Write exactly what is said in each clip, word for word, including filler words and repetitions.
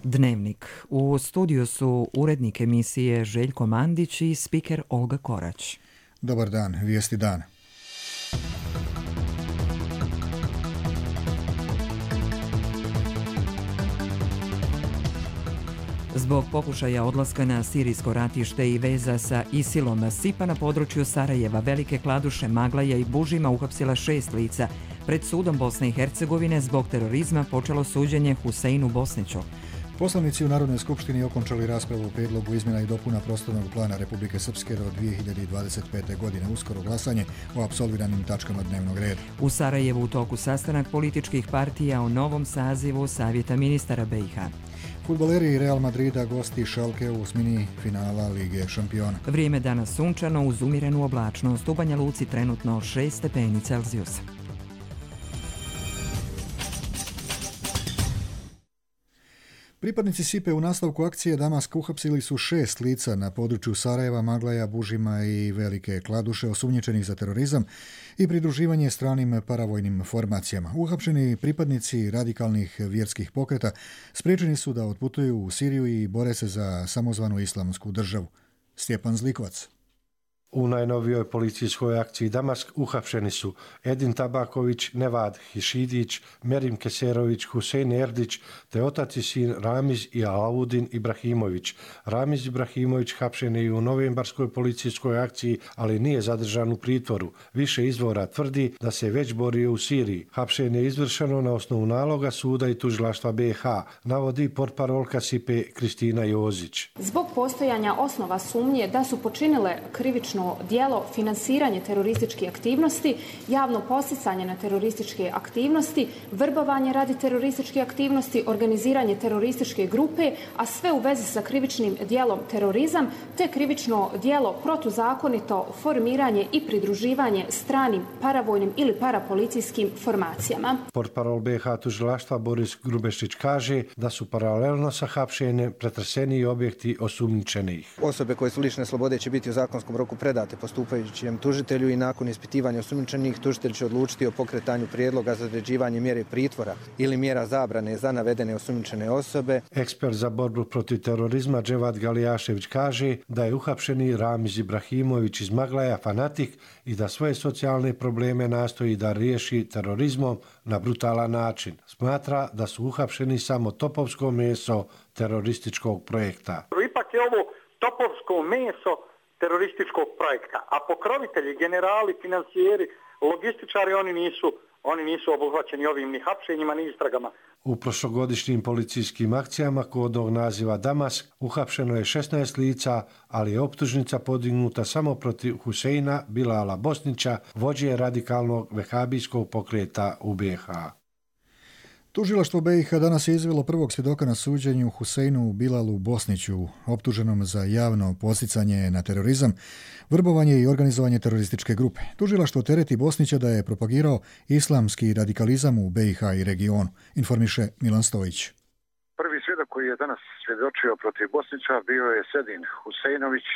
Dnevnik. U studiju su urednik emisije Željko Mandić i spiker Olga Korać. Dobar dan, vijesti dana. Zbog pokušaja odlaska na sirijsko ratište i veza sa ISIL-om, SIPA na području Sarajeva, Velike Kladuše, Maglaja i Bužima uhapsila šest lica. Pred sudom Bosne i Hercegovine zbog terorizma počelo suđenje Huseinu Bosniću. Poslanici u Narodnoj skupštini okončali raspravu o prijedlogu izmjena i dopuna prostornog plana Republike Srpske do dvije hiljade dvadeset pete. godine. Uskoro glasanje o apsolviranim tačkama dnevnog reda. U Sarajevu u toku sastanak političkih partija o novom sazivu Savjeta ministara B i H. Fudbaleri Real Madrida gosti Schalke u osmini finala Lige šampiona. Vrijeme danas sunčano uz umjerenu oblačnost. U Banja Luci trenutno šest stepeni Celzijusa. Pripadnici SIPE u nastavku akcije Damask uhapsili su šest lica na području Sarajeva, Maglaja, Bužima i Velike Kladuše osumnjičenih za terorizam i pridruživanje stranim paravojnim formacijama. Uhapšeni pripadnici radikalnih vjerskih pokreta spriječeni su da otputuju u Siriju i bore se za samozvanu islamsku državu. Stjepan Zlikovac. U najnovijoj policijskoj akciji Damask uhapšeni su Edin Tabaković, Nevad Hišidić, Merim Keserović, Husein Erdić te otac i sin Ramiz i Alaudin Ibrahimović. Ramiz Ibrahimović hapšen je i u novembarskoj policijskoj akciji, ali nije zadržan u pritvoru. Više izvora tvrdi da se već borio u Siriji. Hapšenje je izvršeno na osnovu naloga suda i tužilaštva B i H, navodi portparolka SIPE Kristina Jozić. Zbog postojanja osnova sumnje da su počinile krivično djelo finansiranje terorističkih aktivnosti, javno podsticanje na terorističke aktivnosti, vrbovanje radi terorističke aktivnosti, organiziranje terorističke grupe, a sve u vezi sa krivičnim djelom terorizam, te krivično djelo protuzakonito formiranje i pridruživanje stranim paravojnim ili parapolicijskim formacijama. Portparol B i H tužilaštva Boris Grubešić kaže da su paralelno sa hapšenjem pretreseni objekti osumnjičenih. Osobe koje su lišene slobode će biti u zakonskom roku predate postupajućem tužitelju i nakon ispitivanja osumnjičenih tužitelj će odlučiti o pokretanju prijedloga za određivanje mjere pritvora ili mjera zabrane za navedene osumnjičene osobe. Ekspert za borbu protiv terorizma Dževad Galijašević kaže da je uhapšeni Ramiz Ibrahimović iz Maglaja fanatik i da svoje socijalne probleme nastoji da riješi terorizmom na brutalan način. Smatra da su uhapšeni samo topovsko meso terorističkog projekta. Ipak je ovo topovsko meso terorističkog projekta, a pokrovitelji, generali, financijeri, logističari, oni nisu, oni nisu obuhvaćeni ovim ni hapšenjima, ni istragama. U prošlogodišnjim policijskim akcijama kodnog naziva Damask uhapšeno je šesnaest lica, ali je optužnica podignuta samo protiv Huseina Bilala Bosnića, vođe radikalnog vehabijskog pokreta u B i H. Tužilaštvo B i H danas je izvelo prvog svjedoka na suđenju Huseinu Bilalu Bosniću, optuženom za javno podsticanje na terorizam, vrbovanje i organizovanje terorističke grupe. Tužilaštvo tereti Bosnića da je propagirao islamski radikalizam u B i H i regionu, informiše Milan Stojić. Prvi svjedok koji je danas svjedočio protiv Bosnića bio je Sedin Huseinović,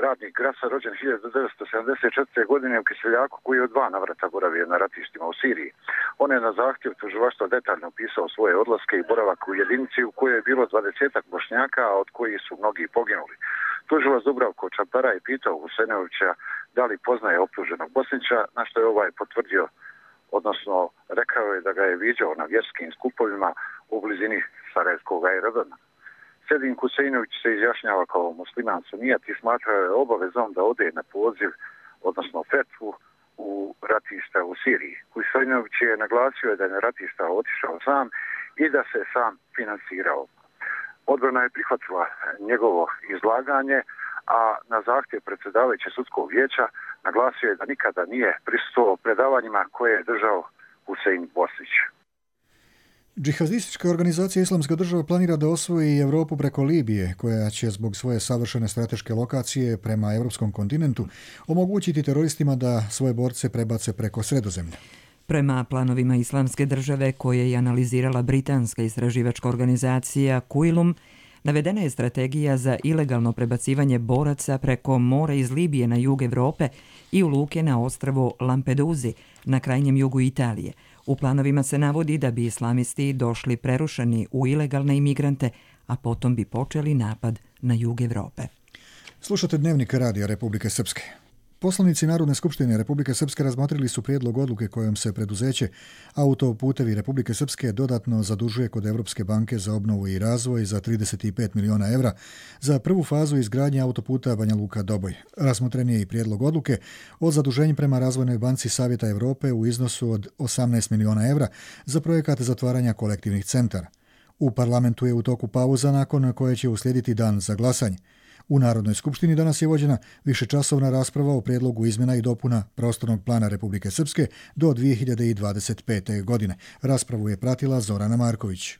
radnik Grasa, rođen hiljadu devetsto sedamdeset četvrte. godine u Kiseljaku, koji je od dva navrata boravio na ratištima u Siriji. On je na zahtjev tužilaštva detaljno opisao svoje odlaske i boravak u jedinici u kojoj je bilo dvadesetak Bošnjaka, a od kojih su mnogi poginuli. Tužilac Dubravko Čampara je pitao Huseinovića da li poznaje optuženog Bosnića, na što je ovaj potvrdio, odnosno rekao je da ga je viđao na vjerskim skupovima u blizini Sarajevskog aerodroma. Sedin Huseinović se izjašnjava kao musliman sunijat i smatrao je obavezom da ode na poziv, odnosno fetvu, u ratišta u Siriji. Huseinović je naglasio da je na ratišta otišao sam i da se sam finansirao. Odbrana je prihvatila njegovo izlaganje, a na zahtjev predsjedavajuće sudskog vijeća naglasio je da nikada nije prisustvovao predavanjima koje je držao Husein Bosnić. Džihadistička organizacija Islamska država planira da osvoji Europu preko Libije, koja će zbog svoje savršene strateške lokacije prema europskom kontinentu omogućiti teroristima da svoje borce prebace preko Sredozemlja. Prema planovima Islamske države koje je analizirala britanska istraživačka organizacija Quilum, navedena je strategija za ilegalno prebacivanje boraca preko mora iz Libije na jug Europe i u luke na ostrvu Lampeduzi, na krajnjem jugu Italije. U planovima se navodi da bi islamisti došli prerušeni u ilegalne imigrante, a potom bi počeli napad na jug Evrope. Slušate Dnevnik Radija Republike Srpske. Poslanici Narodne skupštine Republike Srpske razmotrili su prijedlog odluke kojom se preduzeće Autoputevi Republike Srpske dodatno zadužuje kod Evropske banke za obnovu i razvoj za trideset pet miliona evra za prvu fazu izgradnje autoputa Banja Luka-Doboj. Razmotren je i prijedlog odluke o zaduženju prema Razvojnoj banci Savjeta Evrope u iznosu od osamnaest miliona evra za projekat zatvaranja kolektivnih centara. U parlamentu je u toku pauza nakon koje će uslijediti dan za glasanje. U Narodnoj skupštini danas je vođena višečasovna rasprava o prijedlogu izmjena i dopuna prostornog plana Republike Srpske do dvije hiljade dvadeset pete. godine. Raspravu je pratila Zorana Marković.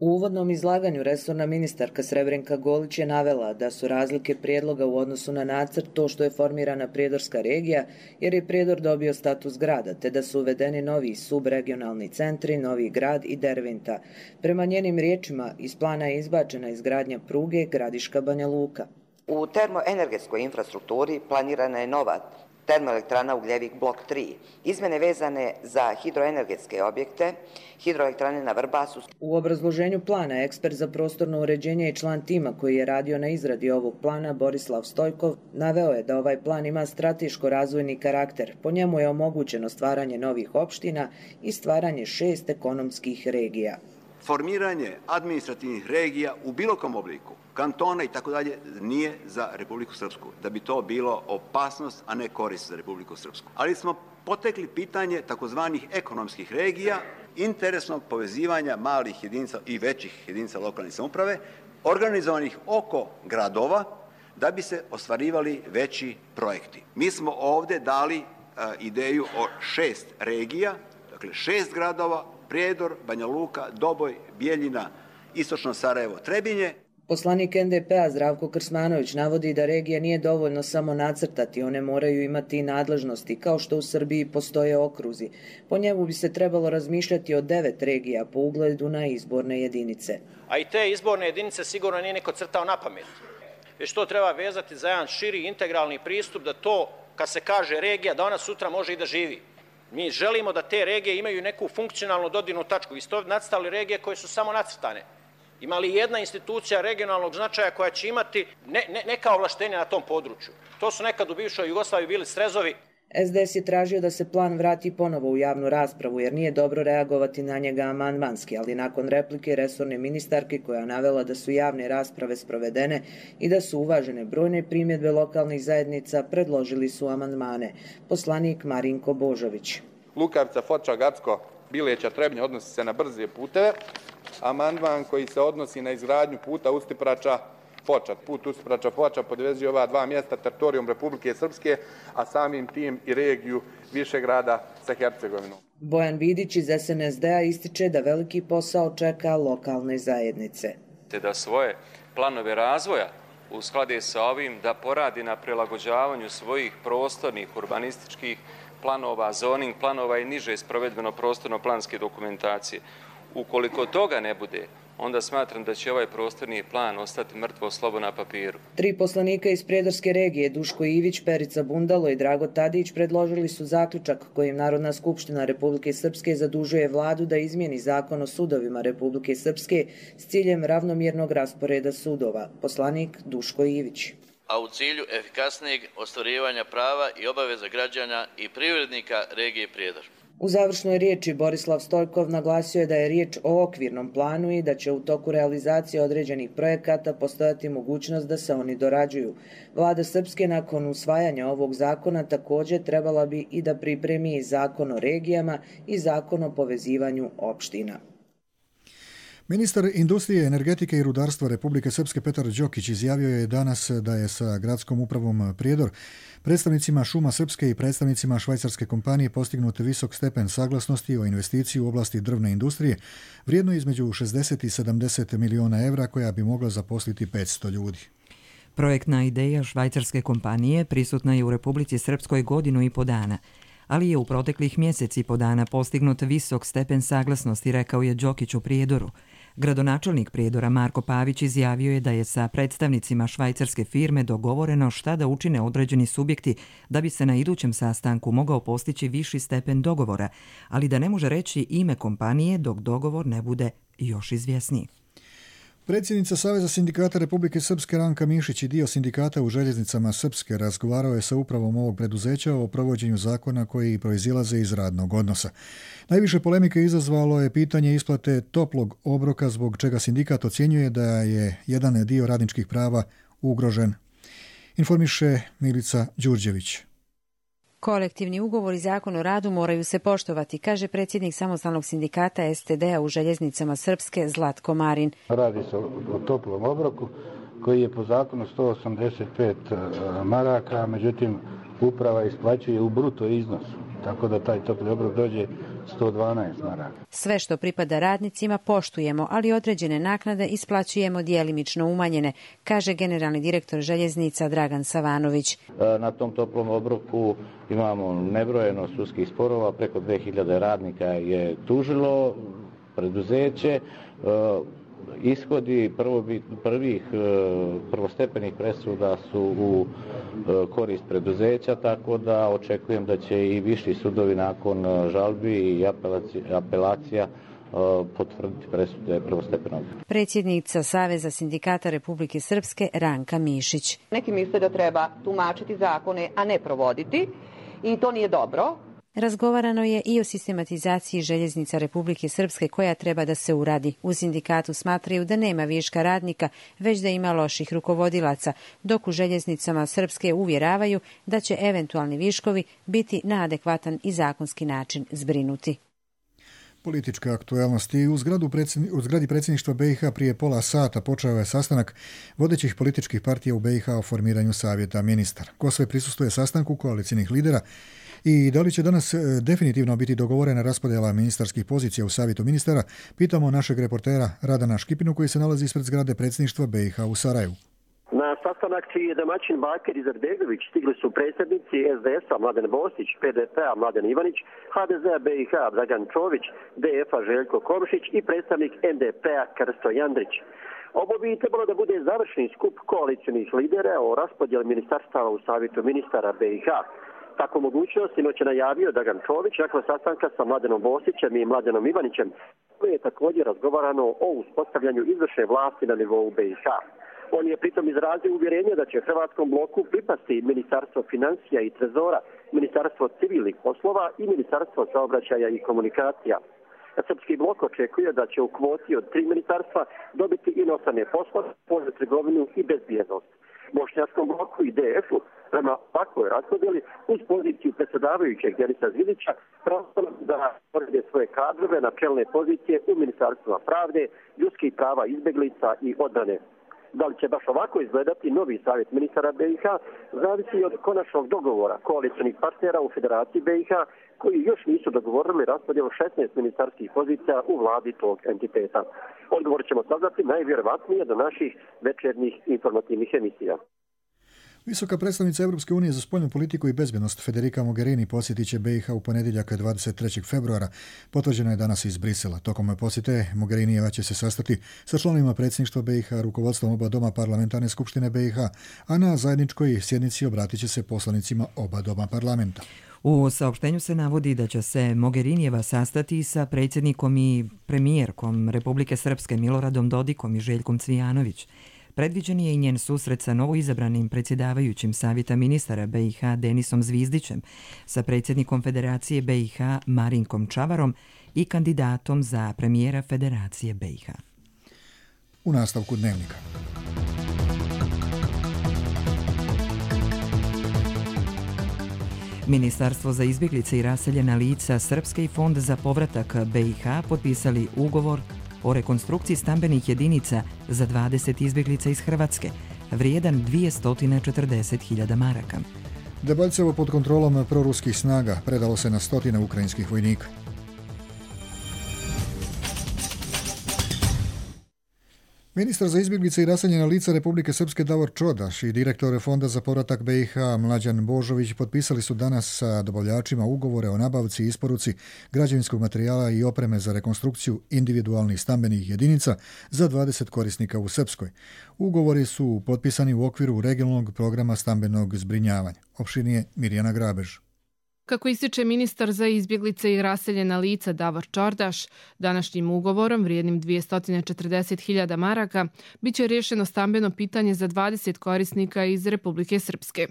U uvodnom izlaganju resorna ministarka Srebrenka Golić je navela da su razlike prijedloga u odnosu na nacrt to što je formirana prijedorska regija, jer je Prijedor dobio status grada, te da su uvedeni novi subregionalni centri, Novi Grad i Derventa. Prema njenim riječima, iz plana je izbačena izgradnja pruge Gradiška Banja Luka. U termoenergetskoj infrastrukturi planirana je nova termoelektrana Ugljevik blok tri. Izmene vezane za hidroenergetske objekte, hidroelektrane na Vrbasu. U obrazloženju plana ekspert za prostorno uređenje i član tima koji je radio na izradi ovog plana, Borislav Stojkov, naveo je da ovaj plan ima strateško-razvojni karakter. Po njemu je omogućeno stvaranje novih opština i stvaranje šest ekonomskih regija. Formiranje administrativnih regija u bilo kom obliku, kantona i tako dalje, nije za Republiku Srpsku. Da bi to bilo opasnost, a ne korist za Republiku Srpsku. Ali smo potekli pitanje takozvanih ekonomskih regija, interesnog povezivanja malih jedinica i većih jedinica lokalne samouprave, organizovanih oko gradova, da bi se ostvarivali veći projekti. Mi smo ovdje dali uh, ideju o šest regija, dakle šest gradova, Prijedor, Banja Luka, Doboj, Bijeljina, Istočno Sarajevo, Trebinje. Poslanik en de pe a Zdravko Krsmanović navodi da regije nije dovoljno samo nacrtati, one moraju imati i nadležnosti, kao što u Srbiji postoje okruzi. Po njemu bi se trebalo razmišljati o devet regija po ugledu na izborne jedinice. A i te izborne jedinice sigurno nije niko crtao na pamet. Već to treba vezati za jedan širi integralni pristup, da to, kad se kaže regija, da ona sutra može i da živi. Mi želimo da te regije imaju neku funkcionalnu dodirnu tačku. Vi ste ovdje nacrtali regije koje su samo nacrtane. Ima li jedna institucija regionalnog značaja koja će imati ne, ne, neka ovlaštenja na tom području? To su nekad u bivšoj Jugoslaviji bili srezovi. es de es je tražio da se plan vrati ponovo u javnu raspravu, jer nije dobro reagovati na njega amandmanski, ali nakon replike resorne ministarke koja navela da su javne rasprave sprovedene i da su uvažene brojne primjedbe lokalnih zajednica, predložili su amandmane. Poslanik Marinko Božović. Lukavica, Foča, Gacko, Bileća, Trebnje odnosi se na brze puteve. Amandman koji se odnosi na izgradnju puta Ustiprača Foča. Put Ustiprača Foča podvezuje ova dva mjesta teritorijom Republike Srpske, a samim tim i regiju Višegrada sa Hercegovinom. Bojan Vidić iz es en es de a ističe da veliki posao čeka lokalne zajednice. Te da svoje planove razvoja usklade sa ovim, da poradi na prilagođavanju svojih prostornih urbanističkih planova, zoning planova i niže sprovedbeno prostorno-planske dokumentacije. Ukoliko toga ne bude, onda smatram da će ovaj prostorni plan ostati mrtvo slovo na papiru. Tri poslanika iz Prijedorske regije, Duško Ivić, Perica Bundalo i Drago Tadić, predložili su zaključak kojim Narodna skupština Republike Srpske zadužuje vladu da izmijeni zakon o sudovima Republike Srpske s ciljem ravnomjernog rasporeda sudova. Poslanik Duško Ivić. A u cilju efikasnijeg ostvarivanja prava i obaveza građana i privrednika regije Prijedor. U završnoj riječi Borislav Stojkov naglasio je da je riječ o okvirnom planu i da će u toku realizacije određenih projekata postojati mogućnost da se oni dorađuju. Vlada Srpske nakon usvajanja ovog zakona također trebala bi i da pripremi i zakon o regijama i zakon o povezivanju opština. Ministar industrije, energetike i rudarstva Republike Srpske Petar Đokić izjavio je danas da je sa gradskom upravom Prijedor, predstavnicima Šuma Srpske i predstavnicima švajcarske kompanije postignut visok stepen saglasnosti o investiciji u oblasti drvne industrije, vrijedno između šezdeset i sedamdeset miliona evra, koja bi mogla zaposliti petsto ljudi. Projektna ideja švajcarske kompanije prisutna je u Republici Srpskoj godinu i po dana, ali je u proteklih mjeseci i po dana postignut visok stepen saglasnosti, rekao je Đokić u Prijedoru. Gradonačelnik Prijedora Marko Pavić izjavio je da je sa predstavnicima švajcarske firme dogovoreno šta da učine određeni subjekti da bi se na idućem sastanku mogao postići viši stepen dogovora, ali da ne može reći ime kompanije dok dogovor ne bude još izvjesniji. Predsjednica Saveza sindikata Republike Srpske Ranka Mišić i dio sindikata u željeznicama Srpske razgovarao je sa upravom ovog preduzeća o provođenju zakona koji proizilaze iz radnog odnosa. Najviše polemike izazvalo je pitanje isplate toplog obroka, zbog čega sindikat ocjenjuje da je jedan dio radničkih prava ugrožen. Informiše Milica Đurđević. Kolektivni ugovor i zakon o radu moraju se poštovati, kaže predsjednik samostalnog sindikata S T D-a u željeznicama Srpske Zlatko Marin. Radi se o toplom obroku koji je po zakonu sto osamdeset pet maraka, međutim uprava isplaćuje u bruto iznosu, tako da taj topli obrok dođe sto dvanaest maraka. Sve što pripada radnicima poštujemo, ali određene naknade isplaćujemo djelimično umanjene, kaže generalni direktor željeznica Dragan Savanović. Na tom toplom obroku imamo nebrojeno sudskih sporova, preko dve hiljade radnika je tužilo preduzeće. Ishodi prvih prvostepenih presuda su u korist preduzeća, tako da očekujem da će i viši sudovi nakon žalbi i apelacija potvrditi presude prvostepenog. Predsjednica Saveza sindikata Republike Srpske Ranka Mišić. Neki misle da treba tumačiti zakone, a ne provoditi, i to nije dobro. Razgovarano je i o sistematizaciji željeznica Republike Srpske koja treba da se uradi. U sindikatu smatraju da nema viška radnika, već da ima loših rukovodilaca, dok u željeznicama Srpske uvjeravaju da će eventualni viškovi biti na adekvatan i zakonski način zbrinuti. Politička aktualnost. I u, u zgradi predsjedništva B i H prije pola sata počeo je sastanak vodećih političkih partija u B i H o formiranju savjeta ministara. Ko sve prisustvuje sastanku koalicijnih lidera i da li će danas definitivno biti dogovorena raspodjela ministarskih pozicija u savjetu ministara, pitamo našeg reportera Radana Škipinu koji se nalazi ispred zgrade predsjedništva B i H u Sarajevu. Na sastanak čiji je domaćin Bakir Izetbegović stigli su predsjednici S D S-a Mladen Bosić, P D P-a Mladen Ivanić, H D Z-a B i H Dragan Čović, D F-a Željko Komšić i predstavnik N D P-a Krsto Jandrić. Ovo bi trebalo da bude završni skup koalicijnih lidera o raspodjeli ministarstava u savjetu ministara B i H. Takvu mogućnost sinoć je najavio Dragan Čović nakon sastanka sa Mladenom Bosićem i Mladenom Ivanićem, koji je također razgovarano o uspostavljanju izvršne vlasti na nivou B i H. On je pritom izrazio uvjerenje da će hrvatskom bloku pripasti Ministarstvo financija i trezora, Ministarstvo civilnih poslova i Ministarstvo saobraćaja i komunikacija. Srpski blok očekuje da će u kvoti od tri ministarstva dobiti inostrane poslove, spoljnu trgovinu i bezbjednost. Bošnjačkom bloku i D F-u prema ovakvoj raspodjeli uz poziciju predsjedavajućeg Denisa Zvidića prostorno da porede svoje kadrove na čelne pozicije u Ministarstvima pravde, ljudskih prava, izbjeglica i odbrane. Da li će baš ovako izgledati novi savjet ministara B i H, zavisi od konačnog dogovora koalicijnih partnera u Federaciji B i H, koji još nisu dogovorili raspodjelu šesnaest ministarskih pozicija u vladi tog entiteta. Odgovor ćemo saznati najvjerovatnije do naših večernjih informativnih emisija. Visoka predstavnica Europske unije za spoljnu politiku i bezbjednost Federica Mogherini posjetit će B i H u ponedjeljak dvadeset trećeg februara. Potvrđeno je danas iz Brisela. Tokom posjete Mogherinijeva će se sastati sa članovima predsjedništva B i H, rukovodstvom oba doma parlamentarne skupštine B i H, a na zajedničkoj sjednici obratit će se poslanicima oba doma parlamenta. U saopštenju se navodi da će se Mogherinijeva sastati sa predsjednikom i premijerkom Republike Srpske Miloradom Dodikom i Željkom Cvijanović. Predviđen je i njen susret sa novoizabranim predsjedavajućim savjeta ministara B i H Denisom Zvizdićem, sa predsjednikom Federacije B i H Marinkom Čavarom i kandidatom za premijera Federacije B i H. U nastavku dnevnika. Ministarstvo za izbjeglice i raseljena lica Srpske i Fond za povratak B i H potpisali ugovor o rekonstrukciji stambenih jedinica za dvadeset izbjeglica iz Hrvatske, vrijedan dvjesto četrdeset hiljada maraka. Debaljevo pod kontrolom proruskih snaga predalo se na stotine ukrajinskih vojnika. Ministar za izbjeglice i raseljena lica Republike Srpske Davor Čodaš i direktor Fonda za povratak B i H Mlađan Božović potpisali su danas sa dobavljačima ugovore o nabavci i isporuci građevinskog materijala i opreme za rekonstrukciju individualnih stambenih jedinica za dvadeset korisnika u Srpskoj. Ugovori su potpisani u okviru regionalnog programa stambenog zbrinjavanja. Opširnije Mirjana Grabež. Kako ističe ministar za izbjeglice i raseljena lica Davor Čordaš, današnjim ugovorom vrijednim dvjesto četrdeset hiljada maraka biće rješeno stambeno pitanje za dvadeset korisnika iz Republike Srpske.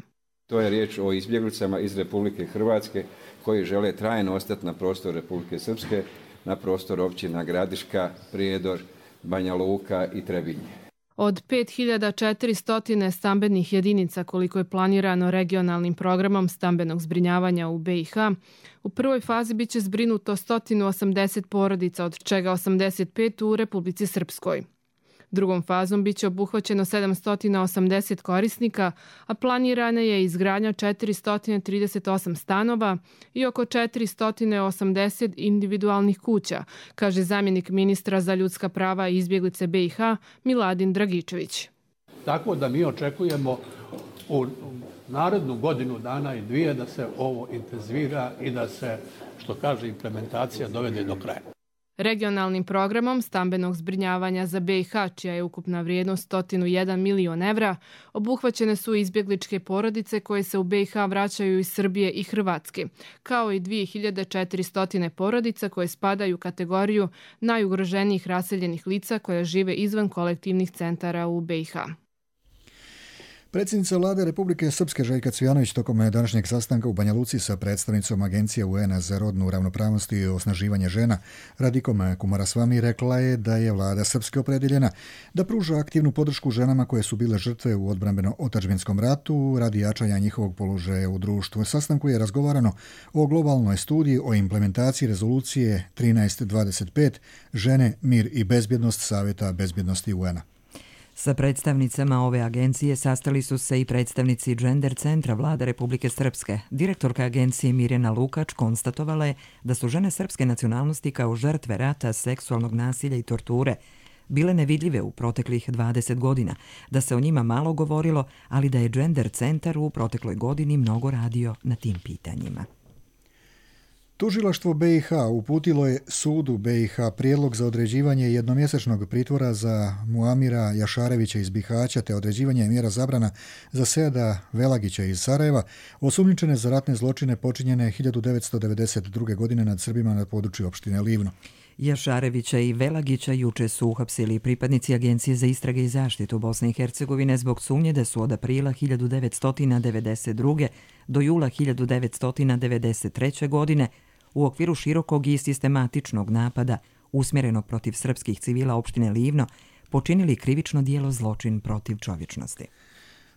To je riječ o izbjeglicama iz Republike Hrvatske koji žele trajno ostati na prostoru Republike Srpske, na prostoru općina Gradiška, Prijedor, Banja Luka i Trebinje. Od pet hiljada četiristo stambenih jedinica koliko je planirano regionalnim programom stambenog zbrinjavanja u B i H, u prvoj fazi biće zbrinuto sto osamdeset porodica, od čega osamdeset pet u Republici Srpskoj. Drugom fazom biće obuhvaćeno sedamsto osamdeset korisnika, a planirana je izgradnja četiristo trideset osam stanova i oko četiristo osamdeset individualnih kuća, kaže zamjenik ministra za ljudska prava i izbjeglice B i H Miladin Dragičević. Tako da mi očekujemo u narednu godinu dana i dvije da se ovo intenzivira i da se, što kaže, implementacija dovede do kraja. Regionalnim programom stambenog zbrinjavanja za B i H, čija je ukupna vrijednost sto jedan milion evra, obuhvaćene su izbjegličke porodice koje se u B i H vraćaju iz Srbije i Hrvatske, kao i dvije hiljade četiristo porodica koje spadaju u kategoriju najugroženijih raseljenih lica koja žive izvan kolektivnih centara u B i H. Predsjednica vlade Republike Srpske Željka Cvijanović tokom današnjeg sastanka u Banja Luci sa predstavnicom Agencije U N-a za rodnu ravnopravnost i osnaživanje žena Radikom Kumarasvami rekla je da je vlada Srpske opredjeljena da pruža aktivnu podršku ženama koje su bile žrtve u odbrambeno-otadžbinskom ratu radi jačanja njihovog položaja u društvu. U sastanku je razgovarano o globalnoj studiji o implementaciji rezolucije trinaest dvadeset pet Žene, mir i bezbjednost Savjeta bezbjednosti U N-a. Sa predstavnicama ove agencije sastali su se i predstavnici Gender centra vlade Republike Srpske. Direktorka agencije Mirjana Lukač konstatovala je da su žene srpske nacionalnosti kao žrtve rata, seksualnog nasilja i torture bile nevidljive u proteklih dvadeset godina, da se o njima malo govorilo, ali da je Gender centar u protekloj godini mnogo radio na tim pitanjima. Tužilaštvo B i H uputilo je sudu B i H prijedlog za određivanje jednomjesečnog pritvora za Muamira Jašarevića iz Bihaća te određivanje mjera zabrana za Seada Velagića iz Sarajeva, osumnjičene za ratne zločine počinjene hiljadu devetsto devedeset druge. godine nad Srbima na području opštine Livno. Jašarevića i Velagića juče su uhapsili pripadnici Agencije za istrage i zaštitu Bosne i Hercegovine zbog sumnje da su od aprila hiljadu devetsto devedeset druge. do jula hiljadu devetsto devedeset treće. godine u okviru širokog i sistematičnog napada usmjerenog protiv srpskih civila opštine Livno počinili krivično djelo zločin protiv čovječnosti.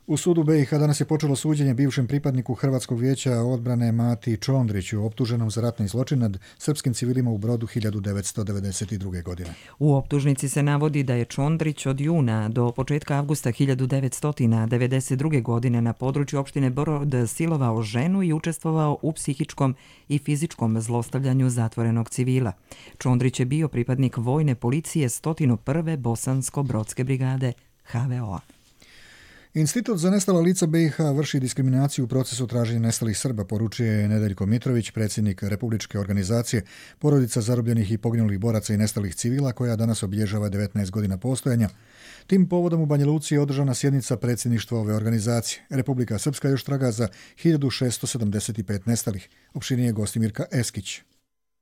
U sudu B i H danas je počelo suđenje bivšem pripadniku Hrvatskog vijeća odbrane Mati Čondriću, optuženom za ratni zločin nad srpskim civilima u Brodu hiljadu devetsto devedeset druge. godine. U optužnici se navodi da je Čondrić od juna do početka avgusta hiljadu devetsto devedeset druge. godine na području opštine Brod silovao ženu i učestvovao u psihičkom i fizičkom zlostavljanju zatvorenog civila. Čondrić je bio pripadnik vojne policije sto prve. Bosansko-brodske brigade H V O-a. Institut za nestala lica B i H vrši diskriminaciju u procesu traženja nestalih Srba, poručuje Nedeljko Mitrović, predsjednik Republičke organizacije Porodica zarobljenih i poginulih boraca i nestalih civila, koja danas obilježava devetnaest godina postojanja. Tim povodom u Banja Luci je održana sjednica predsjedništva ove organizacije. Republika Srpska još traga za hiljadu šesto sedamdeset pet nestalih. Opširnije Gostimirka Eskić.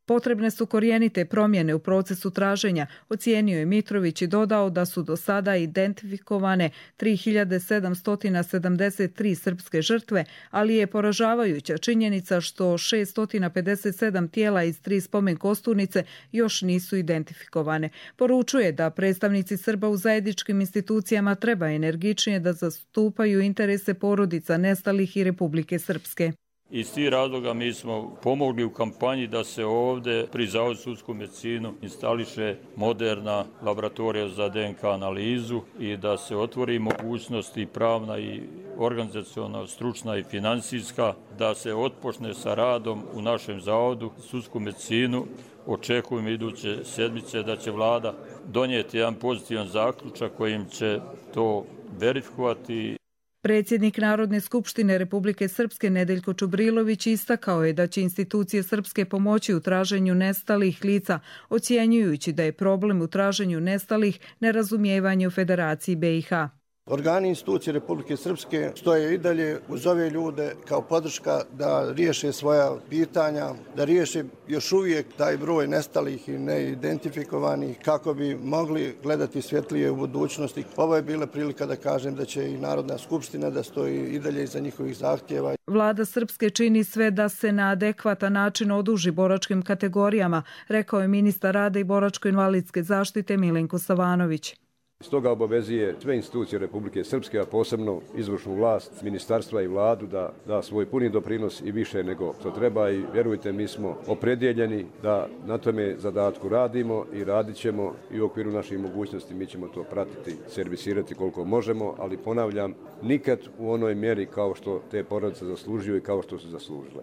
Potrebne su korijenite promjene u procesu traženja, ocijenio je Mitrović i dodao da su do sada identifikovane tri hiljade sedamsto sedamdeset tri srpske žrtve, ali je poražavajuća činjenica što šesto pedeset sedam tijela iz tri spomen kosturnice još nisu identifikovane. Poručuje da predstavnici Srba u zajedničkim institucijama treba energičnije da zastupaju interese porodica nestalih i Republike Srpske. Iz tih razloga mi smo pomogli u kampanji da se ovdje pri Zavodu za sudsku medicinu instališe moderna laboratorija za D N K analizu i da se otvori mogućnost i pravna i organizaciona, stručna i financijska, da se otpočne sa radom u našem Zavodu za sudsku medicinu. Očekujem iduće sedmice da će vlada donijeti jedan pozitivan zaključak kojim će to verifikovati. Predsjednik Narodne skupštine Republike Srpske Nedeljko Čubrilović istakao je da će institucije Srpske pomoći u traženju nestalih lica, ocjenjujući da je problem u traženju nestalih nerazumijevanje u Federaciji B i H. Organi institucije Republike Srpske stoje i dalje uz ove ljude kao podrška da riješe svoja pitanja, da riješe još uvijek taj broj nestalih i neidentifikovanih kako bi mogli gledati svjetlije u budućnosti. Ovo je bila prilika da kažem da će i Narodna skupština da stoji i dalje iza njihovih zahtjeva. Vlada Srpske čini sve da se na adekvatan način oduži boračkim kategorijama, rekao je ministar rada i boračko-invalidske zaštite Milenko Savanović. Stoga obavezuje sve institucije Republike Srpske, a posebno izvršnu vlast, ministarstva i vladu da da svoj puni doprinos i više nego što treba i vjerujte mi smo opredjeljeni da na tome zadatku radimo i radit ćemo i u okviru naših mogućnosti mi ćemo to pratiti, servisirati koliko možemo, ali ponavljam, nikad u onoj mjeri kao što te porodice zaslužuju i kao što su zaslužile.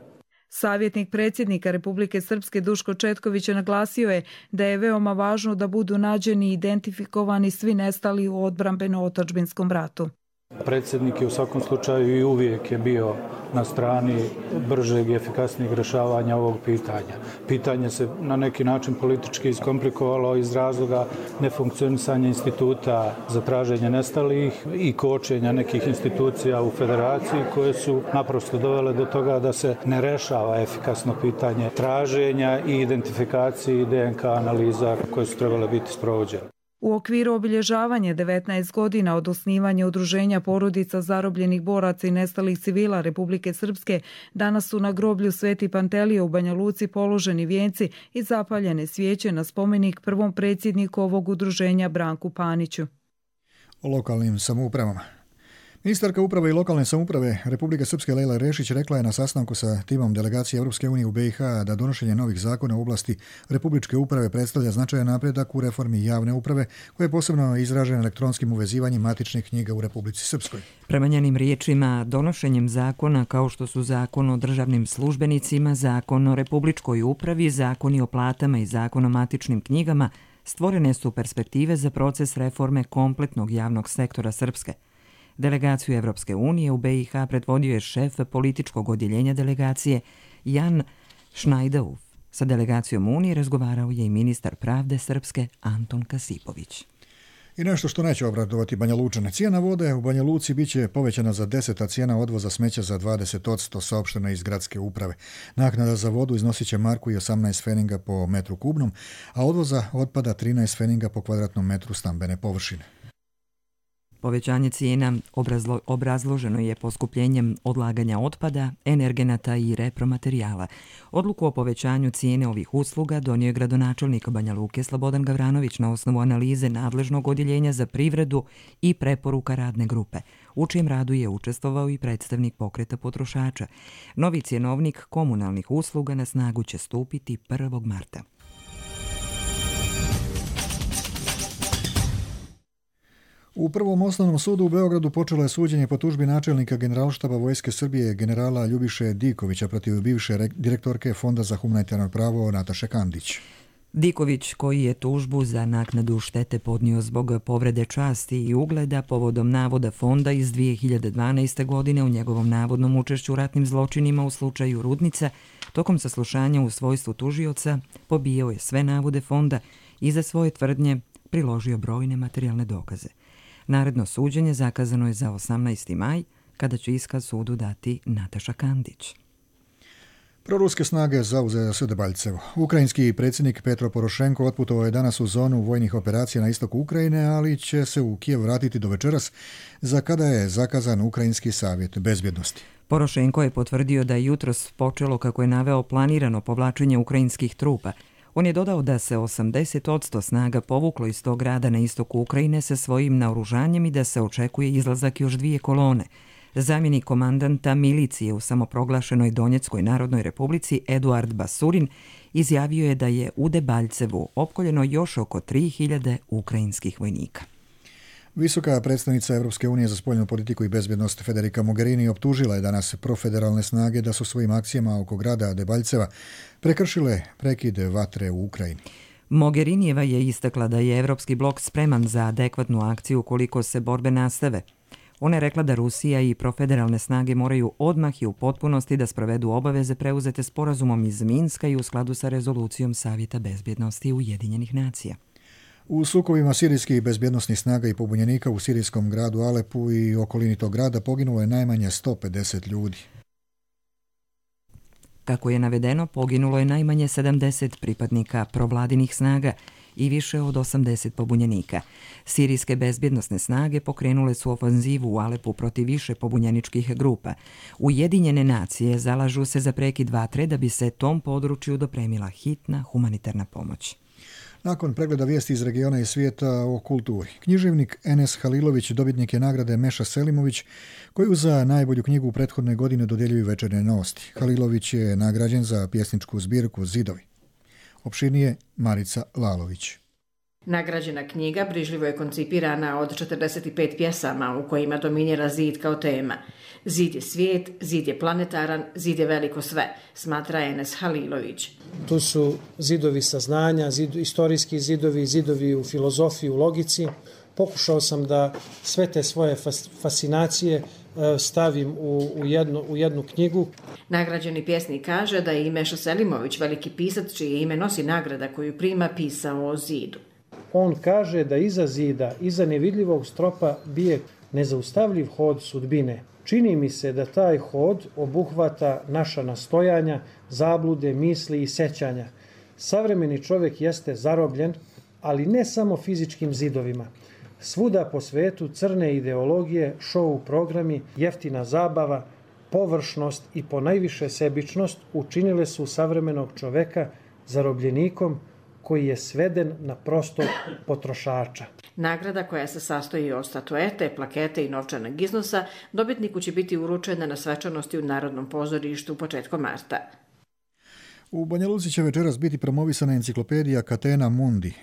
Savjetnik predsjednika Republike Srpske Duško Četković naglasio je da je veoma važno da budu nađeni i identifikovani svi nestali u odbrambeno-otadžbinskom ratu. Predsjednik je u svakom slučaju i uvijek je bio na strani bržeg i efikasnijeg rješavanja ovog pitanja. Pitanje se na neki način politički iskomplikovalo iz razloga nefunkcionisanja instituta za traženje nestalih i kočenja nekih institucija u federaciji koje su naprosto dovele do toga da se ne rešava efikasno pitanje traženja i identifikacije D N K analiza koje su trebale biti sprovođene. U okviru obilježavanja devetnaest godina od osnivanja udruženja porodica zarobljenih boraca i nestalih civila Republike Srpske, danas su na groblju Sveti Pantelije u Banja Luci položeni vijenci i zapaljene svijeće na spomenik prvom predsjedniku ovog udruženja Branku Paniću. O lokalnim samoupravama. Ministarka uprave i lokalne samouprave Republike Srpske Lejla Rešić rekla je na sastanku sa timom delegacije Europske unije u B i H da donošenje novih zakona u oblasti republičke uprave predstavlja značajan napredak u reformi javne uprave koja je posebno izražena elektronskim uvezivanjem matičnih knjiga u Republici Srpskoj. Prema njenim riječima, donošenjem zakona kao što su zakon o državnim službenicima, zakon o republičkoj upravi, zakoni o platama i zakon o matičnim knjigama stvorene su perspektive za proces reforme kompletnog javnog sektora Srpske. Delegaciju Evropske unije u B i H predvodio je šef političkog odjeljenja delegacije Jan Šnajdauf. Sa delegacijom Unije razgovarao je i ministar pravde Srpske Anton Kasipović. I nešto što neće obradovati Banja Lučane. Cijena vode u Banja Luci biće povećana za deset, a cijena odvoza smeća za dvadeset posto, saopšteno iz gradske uprave. Naknada za vodu iznosit će marku i osamnaest feninga po metru kubnom, a odvoza otpada trinaest feninga po kvadratnom metru stambene površine. Povećanje cijena obrazlo, obrazloženo je poskupljenjem odlaganja otpada, energenata i repromaterijala. Odluku o povećanju cijene ovih usluga donio je gradonačelnik Banja Luke Slobodan Gavranović na osnovu analize nadležnog odjeljenja za privredu i preporuka radne grupe, u čijem radu je učestvovao i predstavnik pokreta potrošača. Novi cjenovnik komunalnih usluga na snagu će stupiti prvog marta. U Prvom osnovnom sudu u Beogradu počelo je suđenje po tužbi načelnika Generalštaba Vojske Srbije generala Ljubiše Dikovića protiv bivše direktorke Fonda za humanitarno pravo Nataše Kandić. Diković, koji je tužbu za naknadu štete podnio zbog povrede časti i ugleda povodom navoda fonda iz dvije hiljade dvanaeste. godine u njegovom navodnom učešću u ratnim zločinima u slučaju Rudnica, tokom saslušanja u svojstvu tužioca pobijao je sve navode fonda i za svoje tvrdnje priložio brojne materijalne dokaze. Naredno suđenje zakazano je za osamnaesti maj, kada će iskaz sudu dati Nataša Kandić. Proruske snage zauzele su Debaljevo. Ukrajinski predsjednik Petro Porošenko otputovao je danas u zonu vojnih operacija na istoku Ukrajine, ali će se u Kijev vratiti do večeras, za kada je zakazan Ukrajinski savjet bezbjednosti. Porošenko je potvrdio da je jutros počelo, kako je naveo, planirano povlačenje ukrajinskih trupa. On je dodao da se osamdeset posto snaga povuklo iz tog grada na istoku Ukrajine sa svojim naoružanjem i da se očekuje izlazak još dvije kolone. Zamjenik komandanta milicije u samoproglašenoj Donjeckoj narodnoj republici Eduard Basurin izjavio je da je u Debaljcevu opkoljeno još oko tri hiljade ukrajinskih vojnika. Visoka predstavnica Europske unije za spoljnu politiku i bezbjednost Federica Mogherini optužila je danas profederalne snage da su svojim akcijama oko grada Debaljceva prekršile prekid vatre u Ukrajini. Mogherinijeva je istakla da je Evropski blok spreman za adekvatnu akciju ukoliko se borbe nastave. Ona je rekla da Rusija i profederalne snage moraju odmah i u potpunosti da sprovedu obaveze preuzete sporazumom iz Minska i u skladu sa rezolucijom Savjeta bezbjednosti Ujedinjenih nacija. U sukobima sirijskih bezbjednosnih snaga i pobunjenika u sirijskom gradu Alepu i okolini tog grada poginulo je najmanje sto pedeset ljudi. Kako je navedeno, poginulo je najmanje sedamdeset pripadnika provladinih snaga i više od osamdeset pobunjenika. Sirijske bezbjednosne snage pokrenule su ofanzivu u Alepu protiv više pobunjeničkih grupa. Ujedinjene nacije zalažu se za prekid vatre da bi se tom području dopremila hitna humanitarna pomoć. Nakon pregleda vijesti iz regiona i svijeta o kulturi, književnik Enes Halilović dobitnik je nagrade Meša Selimović, koju za najbolju knjigu u prethodne godine dodjeljuju Večernje novosti. Halilović je nagrađen za pjesničku zbirku Zidovi. Opširnije Marica Lalović. Nagrađena knjiga brižljivo je koncipirana od četrdeset pet pjesama u kojima dominira zid kao tema. Zid je svijet, zid je planetaran, zid je veliko sve, smatra Enes Halilović. Tu su zidovi saznanja, zid, istorijski zidovi, zidovi u filozofiji, u logici. Pokušao sam da sve te svoje fas, fascinacije stavim u, u, jednu, u jednu knjigu. Nagrađeni pjesnik kaže da je i Meša Selimović, veliki pisac čije ime nosi nagrada koju prima, pisao o zidu. On kaže da iza zida, iza nevidljivog stropa bije nezaustavljiv hod sudbine. Čini mi se da taj hod obuhvata naša nastojanja, zablude, misli i sećanja. Savremeni čovjek jeste zarobljen, ali ne samo fizičkim zidovima. Svuda po svetu crne ideologije, show programi, jeftina zabava, površnost i ponajviše sebičnost učinile su savremenog čoveka zarobljenikom koji je sveden na prostog potrošača. Nagrada koja se sastoji od statuete, plakete i novčanog iznosa dobitniku će biti uručena na svečanosti u Narodnom pozorištu početkom marta. U Banja Luci će večeras biti promovisana enciklopedija Catena Mundi.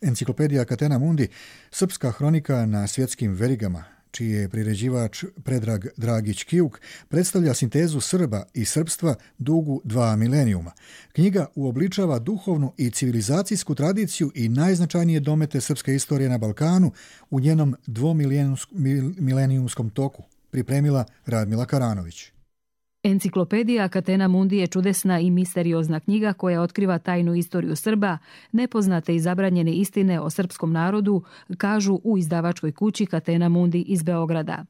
Enciklopedija Catena Mundi, srpska hronika na svjetskim verigama, čiji je priređivač Predrag Dragić-Kijuk, predstavlja sintezu Srba i srpstva dugu dva milenijuma. Knjiga uobličava duhovnu i civilizacijsku tradiciju i najznačajnije domete srpske istorije na Balkanu u njenom dvomilenijumskom toku, pripremila Radmila Karanović. Enciklopedija Catena Mundi je čudesna i misteriozna knjiga koja otkriva tajnu istoriju Srba, nepoznate i zabranjene istine o srpskom narodu, kažu u izdavačkoj kući Catena Mundi iz Beograda.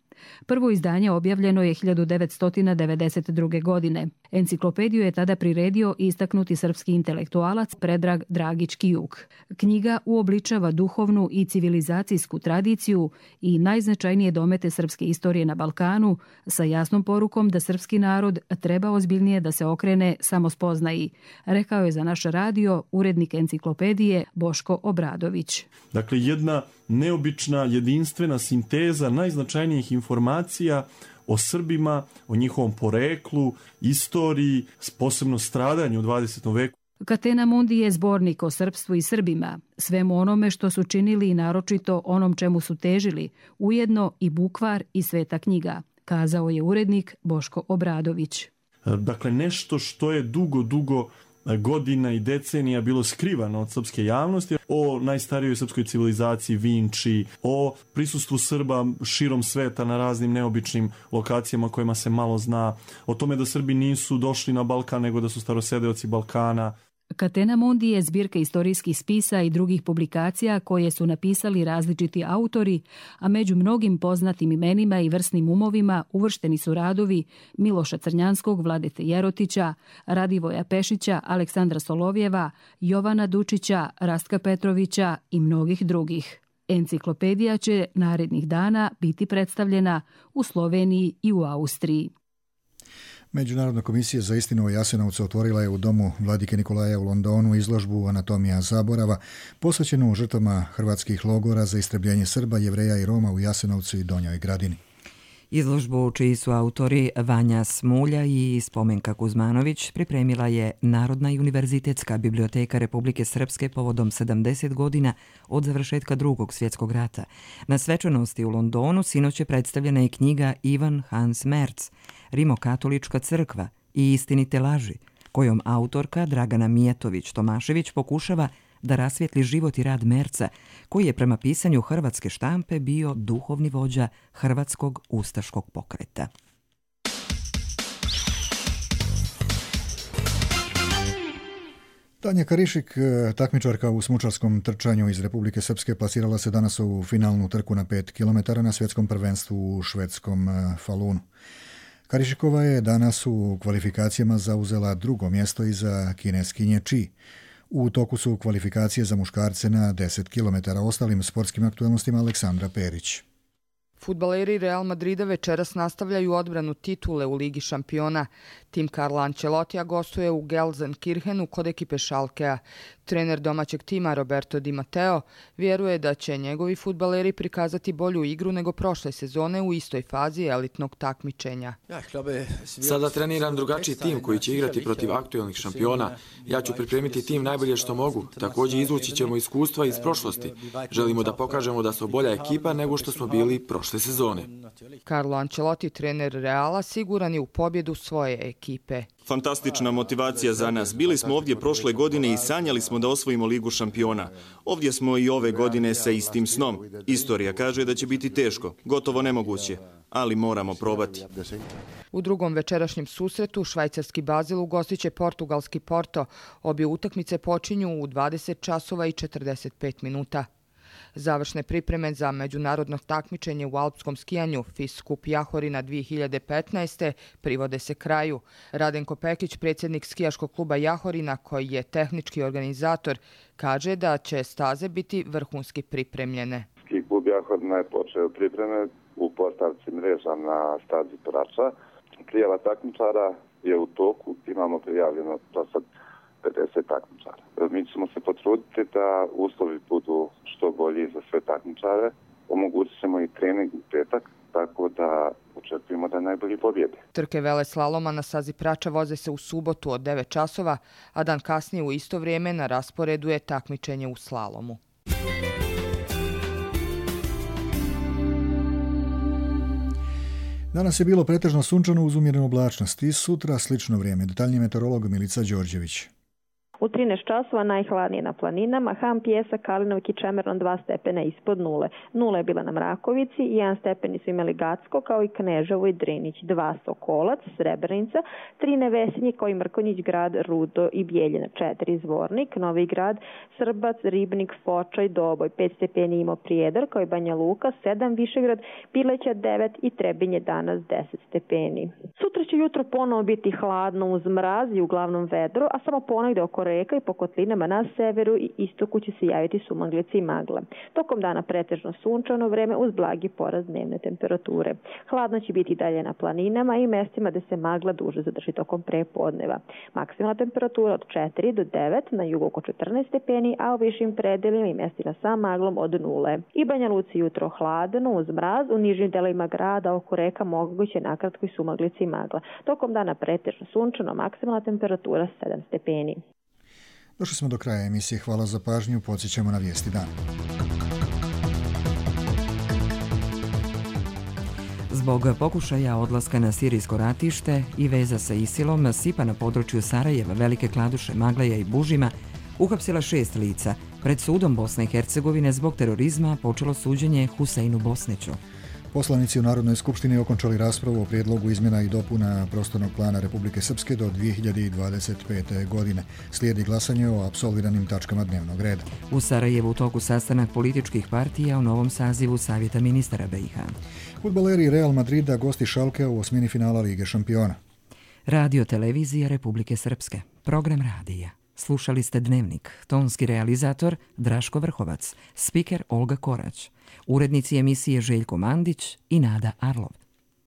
Prvo izdanje objavljeno je hiljadu devetsto devedeset druge. godine. Enciklopediju je tada priredio istaknuti srpski intelektualac Predrag Dragić-Kijuk. Knjiga uobličava duhovnu i civilizacijsku tradiciju i najznačajnije domete srpske istorije na Balkanu sa jasnom porukom da srpski narod treba ozbiljnije da se okrene samospoznaji, rekao je za naš radio urednik enciklopedije Boško Obradović. Dakle, jedna neobična, jedinstvena sinteza najznačajnijih informacija o Srbima, o njihovom poreklu, istoriji, posebno stradanju u dvadesetom veku. Catena Mundi je zbornik o srpstvu i Srbima, svemu onome što su činili i naročito onom čemu su težili, ujedno i bukvar i sveta knjiga, kazao je urednik Boško Obradović. Dakle, nešto što je dugo, dugo godina i decenija bilo skrivano od srpske javnosti, o najstarijoj srpskoj civilizaciji Vinči, o prisustvu Srba širom sveta na raznim neobičnim lokacijama kojima se malo zna, o tome da Srbi nisu došli na Balkan nego da su starosedeoci Balkana. Catena Mundi je zbirka istorijskih spisa i drugih publikacija koje su napisali različiti autori, a među mnogim poznatim imenima i vrsnim umovima uvršteni su radovi Miloša Crnjanskog, Vladete Jerotića, Radivoja Pešića, Aleksandra Solovjeva, Jovana Dučića, Rastka Petrovića i mnogih drugih. Enciklopedija će narednih dana biti predstavljena u Sloveniji i u Austriji. Međunarodna komisija za istinu o Jasenovcu otvorila je u domu Vladike Nikolaja u Londonu izložbu Anatomija zaborava posvećenu žrtvama hrvatskih logora za istrebljenje Srba, Jevreja i Roma u Jasenovcu i Donjoj Gradini. Izložbu čiji su autori Vanja Smulja i Spomenka Kuzmanović pripremila je Narodna i univerzitetska biblioteka Republike Srpske povodom sedamdeset godina od završetka Drugog svjetskog rata. Na svečanosti u Londonu sinoć je predstavljena i knjiga Ivan Hans Merz, Rimokatolička crkva i istinite laži, kojom autorka Dragana Mijatović-Tomašević pokušava da rasvijetli život i rad Merca, koji je prema pisanju hrvatske štampe bio duhovni vođa hrvatskog ustaškog pokreta. Tanja Karišik, takmičarka u smučarskom trčanju iz Republike Srpske, plasirala se danas u finalnu trku na pet kilometara na svjetskom prvenstvu u švedskom Falunu. Karišikova je danas u kvalifikacijama zauzela drugo mjesto iza kineskinje Chi. U toku su kvalifikacije za muškarce na deset kilometara. Ostalim sportskim aktualnostima Aleksandra Perić. Fudbaleri Real Madrida večeras nastavljaju odbranu titule u Ligi šampiona. Tim Carlo Ancelotija gostuje u Gelsenkirchenu kod ekipe Schalkea. Trener domaćeg tima Roberto Di Matteo vjeruje da će njegovi fudbaleri prikazati bolju igru nego prošle sezone u istoj fazi elitnog takmičenja. Sada treniram drugačiji tim koji će igrati protiv aktuelnih šampiona. Ja ću pripremiti tim najbolje što mogu. Također izvući ćemo iskustva iz prošlosti. Želimo da pokažemo da smo bolja ekipa nego što smo bili prošle sezone. Carlo Ancelotti, trener Reala, siguran je u pobjedu svoje ekipe. Fantastična motivacija za nas. Bili smo ovdje prošle godine i sanjali smo da osvojimo Ligu šampiona. Ovdje smo i ove godine sa istim snom. Istorija kaže da će biti teško, gotovo nemoguće, ali moramo probati. U drugom večerašnjem susretu švajcarski Bazil ugostit će portugalski Porto. Obje utakmice počinju u dvadeset časova i četrdeset pet minuta. Završne pripreme za međunarodno takmičenje u alpskom skijanju FIS Kup Jahorina dvije hiljade petnaeste privode se kraju. Radenko Pekić, predsjednik skijaškog kluba Jahorina, koji je tehnički organizator, kaže da će staze biti vrhunski pripremljene. Ski klub Jahorina je počeo pripreme u postavci mreža na stazi Prača. Prijava takmičara je u toku, imamo prijavljeno do sad pedeset takmičara. Mi ćemo se potruditi da uslovi budu što bolji za sve takmičare. Omogućit ćemo i trening u petak, tako da očekujemo da najbolji pobjede. Trke veleslaloma na stazi Prača voze se u subotu od devet časova, a dan kasnije u isto vrijeme na rasporedu je takmičenje u slalomu. Danas je bilo pretežno sunčano uz umjerenu oblačnost i sutra slično vrijeme. Detaljniji meteorolog Milica Đorđević. U trinaest časova najhladnije na planinama, Ham, Pjesak, Kalinovik i Čemernon dva stepena ispod nule. Nula je bila na Mrakovici, jedan stepeni su imali Gacko, kao i Kneževo i Drinić, dva Sokolac, Srebrenica, tri Nevesinje, kao i Mrkonjić grad, Rudo i Bijeljina, četiri Zvornik, Novi grad, Srbac, Ribnik, Fočaj, Doboj, pet stepeni imao Prijedor, kao i Banja Luka, sedam Višegrad, Pileća devet i Trebinje danas deset stepeni. Sutra će jutro ponovo biti hladno uz mraz i uglavnom vedro, a samo ponegde oko reka i po kotlinama na severu i istoku će se javiti sumaglice i magla. Tokom dana pretežno sunčano vreme uz blagi porast dnevne temperature. Hladno će biti dalje na planinama i mjestima gde se magla duže zadrži tokom prepodneva. Maksimalna temperatura od četiri do devet, na jugu oko četrnaest stepeni, a u višim predelima i mjestima sa maglom od nule. I Banja Luci jutro hladno uz mraz, u nižim delovima grada oko reka moguće nakratko i sumaglice i magla. Tokom dana pretežno sunčano, maksimalna temperatura sedam stepeni. Došli smo do kraja emisije. Hvala za pažnju. Podsjećamo na vijesti dana. Zbog pokušaja odlaska na sirijsko ratište i veza sa Isilom, Sipa na području Sarajeva, Velike Kladuše, Maglaja i Bužima uhapsila šest lica. Pred sudom Bosne i Hercegovine zbog terorizma počelo suđenje Huseinu Bosniću. Poslanici u Narodnoj skupštini okončali raspravu o prijedlogu izmjena i dopuna prostornog plana Republike Srpske do dvije hiljade dvadeset pete. godine. Slijedi glasanje o apsolviranim tačkama dnevnog reda. U Sarajevu u toku sastanak političkih partija o novom sazivu Savjeta ministara B i H. Fudbaleri Real Madrida gosti Schalkea u osmini finala Lige šampiona. Radio televizija Republike Srpske. Program radija. Slušali ste Dnevnik. Tonski realizator Draško Vrhovac. Spiker Olga Korać. Urednici emisije Željko Mandić i Nada Arlov.